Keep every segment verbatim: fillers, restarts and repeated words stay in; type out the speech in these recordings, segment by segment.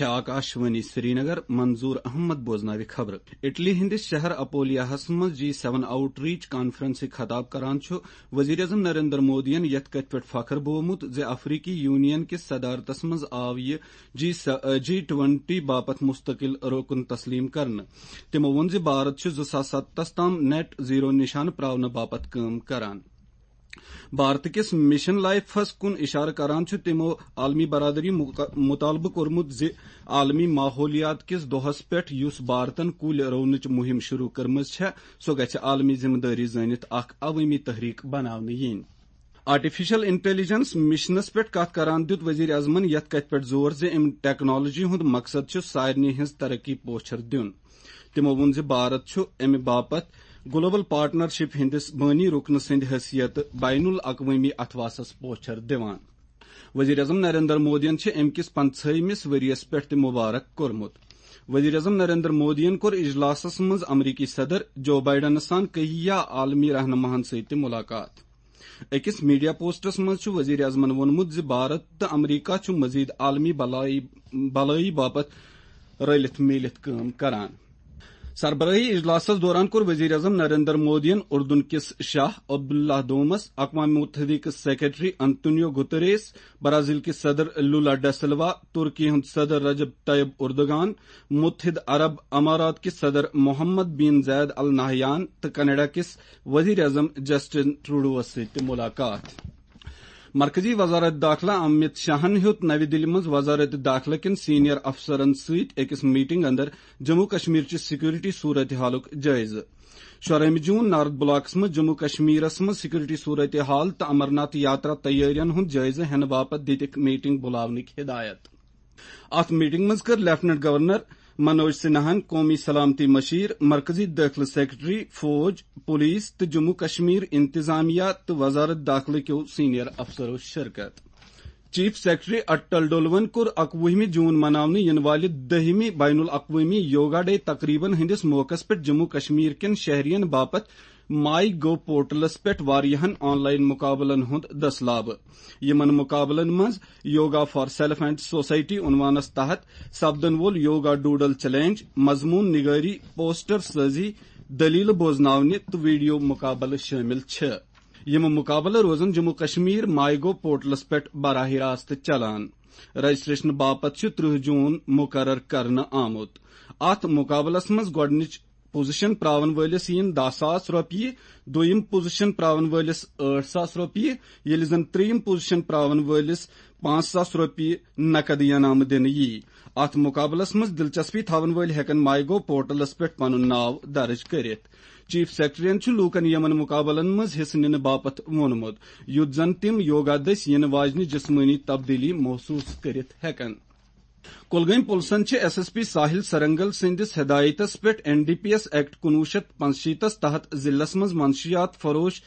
آکاشوانی سرینگر، منظور احمد بوزناوِ خبرٕ۔ اٹلی ہٕنٛدِس شہر اپولیاہس منٛز جی سیون آؤٹ ریچ کانفرنسٕچ خطاب کران چھُ وزیر اعظم نریندر مودیَن یتھ کتھِ پٮ۪ٹھ فخر بوومُت زِ افریقی یونین کِس صدارتس منٛز آو یہِ جی س-، جی ٹوینٹی باپتھ مستقل رکن تسلیم کرنہٕ۔ تِمو ووٚن زِ بھارت چھُ زٕ ساس ستتس تام نیٹ زیرو نشانہٕ پراونہٕ باپتھ کٲم کران۔ بھارت کِس مشن لائفس کُن اشارٕ کران چھُ تِمو عالمی برادری مُق-، مطالبہٕ کوٚرمُت زِ عالمی ماحولیات کِس دۄہس پٮ۪ٹھ، یُس بھارتن کُلۍ رُونٕچ مُہِم شروع کٔرمٕژ چھےٚ، سۄ گژھِ عالمی ذمہٕ دٲری زٲنِتھ اکھ عوٲمی تحریک بناونہٕ یِنۍ۔ آرٹیفیشل انٹیلیجنس مشنس پٮ۪ٹھ کتھ کران دیُت وزیر اعظمن یتھ کتھِ پٮ۪ٹھ زور زِ امہِ ٹیکنالوجی ہُنٛد مقصد چھُ سارنٕے ہٕنٛز ترقی پوچھر دیُن۔ تِمو ووٚن زِ بھارت چھُ امہِ باپتھ گلوبل پارٹنرشپ ہٕنٛدِس بٲنی رُکنہٕ سٕنٛدِ حیثیتہٕ بین الاقوٲمی اتھواسس پوچھر دِوان۔ وزیر اعظم نریندر مودیَن چھِ امہِ کِس پنژاہمِس ؤریَس پٮ۪ٹھ تہِ مبارک کوٚرمُت۔ وزیر اعظم نریندر مودیَن کوٚر اجلاسس منٛز امریکی صدر جو بائیڈنَس سان کہیا عالمی رہنماہن سۭتۍ تہِ ملاقات۔ أکِس میڈیا پوسٹس منٛز چھُ وزیر اعظمن ووٚنمُت زِ بھارت تہٕ امریکہ چھُ مزید عالمی بلایی، بلایی باپتھ رلِتھ میٖلِتھ کٲم کران۔ سربراہی اجلاسس دوران کوٚر وزیر اعظم نریندر مودیَن اردن کِس شاہ عبداللہ دومس، اقوام متحدہ کِس سیکرٹری انتونیو گتریس، برازیل کِس صدر لولا ڈا سلوا، ترکی ہُنٛد صدر رجب طیب اردگان، متحدہ عرب امارات کِس صدر محمد بن زاید ال نہیان تہٕ کینیڈا کِس وزیر اعظم جسٹن ٹروڈوس سۭتۍ تہِ ملاقات۔ مرکزی وزارت داخلہ امت شاہن ہیوٚت نوِ دِلہِ منٛز وزارت داخلہ کٮ۪ن سینئر افسرن سۭتۍ أکِس میٹنگ اندر جموں کشمیر چہِ سیکورٹی صورتحالُک جٲیزٕ۔ شُرہمہِ جون نارتھ بلاکس منٛز جموں کشمیرس منٛز سیکورٹی صورتحال تہٕ امرناتھ یاترا تیٲرین ہُنٛد جٲیزٕ ہٮ۪نہٕ باپتھ دِتِکھ میٹنگ بُلاونٕکۍ ہدایت۔ اتھ میٹنگ منٛز کٔر لیفٹیننٹ گورنر منوج سنہاہن، قومی سلامتی مشیر، مرکزی دٲخلہٕ سیکرٹری، فوج، پولیس تہٕ جموں کشمیر انتظامیہ تہٕ وزارت داخلہٕ کیو سینئر افسرو شرکت۔ چیف سیکرٹری اٹل ڈولون کوٚر اکوُہمہِ جون مناونہٕ یِنہٕ والہِ دٔہمہِ بین الاقوٲمی یوگا ڈے تقریبن ہٕنٛدِس موقعس پٮ۪ٹھ جموں کشمیر کٮ۪ن شہرین باپتھ مائی گو پورٹلس پٮ۪ٹھ واریاہن آن لائن مقابلن ہُنٛد دٔسلابہٕ۔ یِمن مقابلن منٛز yoga for self and society عنوانس تحت سپدن وول یوگا ڈوڈل چیلنج، مضمون نگٲری، پوسٹر سٲزی، دٔلیٖلہٕ بوزناونہِ تہٕ ویڈیو مقابلہٕ شٲمِل چھِ۔ یِم مقابلہٕ روزن جموں کشمیر مائی گو پورٹلس پٮ۪ٹھ براہ راست چلان۔ رجسٹریشن باپتھ چھُ ترٕہ جون مقرر کرنہٕ آمُت۔ اتھ مقابلس منٛز گۄڈٕنِچ پوزیشن پراون وٲلِس یِن دَہ ساس رۄپیہِ، دوٚیِم پوزیشن پراون وٲلِس ٲٹھ ساس رۄپیہِ، ییٚلہِ زن ترٛیٚیِم پوزیشن پراون وٲلِس پانٛژھ ساس رۄپیہِ نقد انعام دِنہٕ یِیہِ۔ اتھ مقابلس منٛز دلچسپی تھاون وٲلۍ ہٮ۪کن مائی گو پورٹلس پٮ۪ٹھ پنُن ناو درج کٔرِتھ۔ چیف سیکرٹریَن چھُ لوٗکن یِمن مقابلن منٛز حصہٕ نِنہٕ باپتھ ووٚنمُت، یُتھ زن تِم یوگا دٔسۍ یِنہٕ واجنہِ جسمٲنی تبدیلی محسوس کٔرِتھ ہٮ۪کن۔ کۄلگٲمۍ پُلسن چھِ S S P Sahil Sarangal سٕنٛدِس ہدایتس پٮ۪ٹھ N D P S act کُنوُہ شیٚتھ پانٛژشیٖتس تحت ضلعس منٛز منشیات فروش،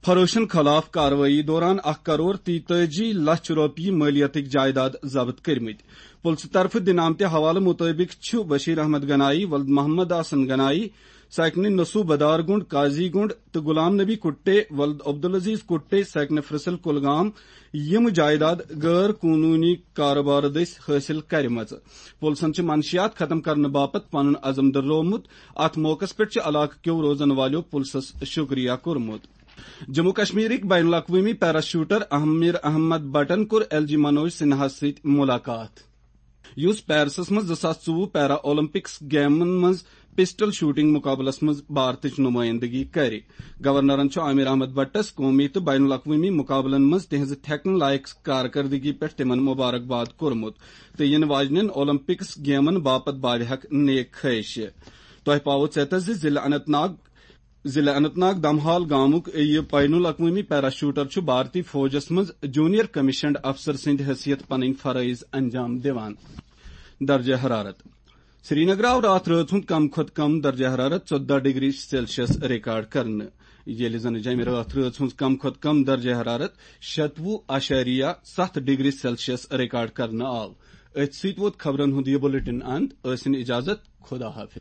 فروشن خلاف کاروٲیی دوران اکھ کرور تیتٲجی لچھ رۄپیہِ مٲلیتٕکۍ جائیداد ضبط کٔرمٕتۍ۔ پُلسہٕ طرفہٕ دِنہٕ آمتہِ حوالہٕ مُطٲبِق چھُ بشیر احمد گنایی، ولد محمد حسن گنایی، ساکنہِ نسو بدار گنڈ، قاضی گنڈ تہٕ غلام نبی کٹے، ولد عبدالعزیز کٹے، ساکنہِ فرسل کولگام، یِم جائیداد غٲر قونوٗنی کارٕبارٕ دٔسۍ حٲصِل کَرِمَژٕ۔ پُلسَن چھِ منشیات ختم کرنہٕ باپتھ پنُن عزم دۄہرومُت۔ اَتھ موقعَس پٮ۪ٹھ چھِ علاقہٕ کیو روزَن والٮ۪و پُلسَس شُکریہ کوٚرمُت۔ جموں کشمیرٕکۍ بین الاقوٲمی پیرا شوٹر امیر احمد بٹن کوٚر ایل جی منوج سنہاہَس سۭتۍ مُلاقات، یُس پیرسَس منٛز زٕ ساس ژوٚوُہ پیرا اولمپکس گیمَن منٛز پسٹل شوٹنگ مقابلس منٛز بھارتٕچ نمائندگی کرِ۔ گورنرن چھُ عامر احمد بٹس قومی تہٕ بین الاقوٲمی مقابلن منٛز تِہنٛزِ تھٮ۪کنہٕ لایق کارکردگی پٮ۪ٹھ تِمن مبارک باد کوٚرمُت تہٕ یِنہٕ واجنٮ۪ن اولمپکس گیمَن باپتھ باوِ حق نیک خواہش۔ تۄہہِ پاوو ژیتس زِ ضلع اننت ناگ، ضلع اننت ناگ دمہال گامُک یہِ بین الاقوٲمی پیرا شوٹر چھُ بھارتی فوجس منٛز جونیئر کمیشنڈ افسر سٕنٛدِ حیثیت پنٕنۍ فرٲیض انجام دِوان۔ درجہ حرارت۔ سرینگر آو راتھ رٲژ ہُنٛد کم کھۄتہٕ کم درجہ حرارت ژۄدہ ڈگری سیلسیس ریکارڈ کرنہٕ، ییٚلہِ زن جمہِ راتھ رٲژ ہُنٛد کم کھۄتہٕ کم درجہ حرارت شتوُہ اعشاریہ ستھ ڈگری سیلسیس ریکارڈ کرنہٕ آو۔ أتھۍ سۭتۍ ووت خبرن ہُنٛد یہِ بلیٹن اند۔ ٲسِن اجازت، خدا حافظ۔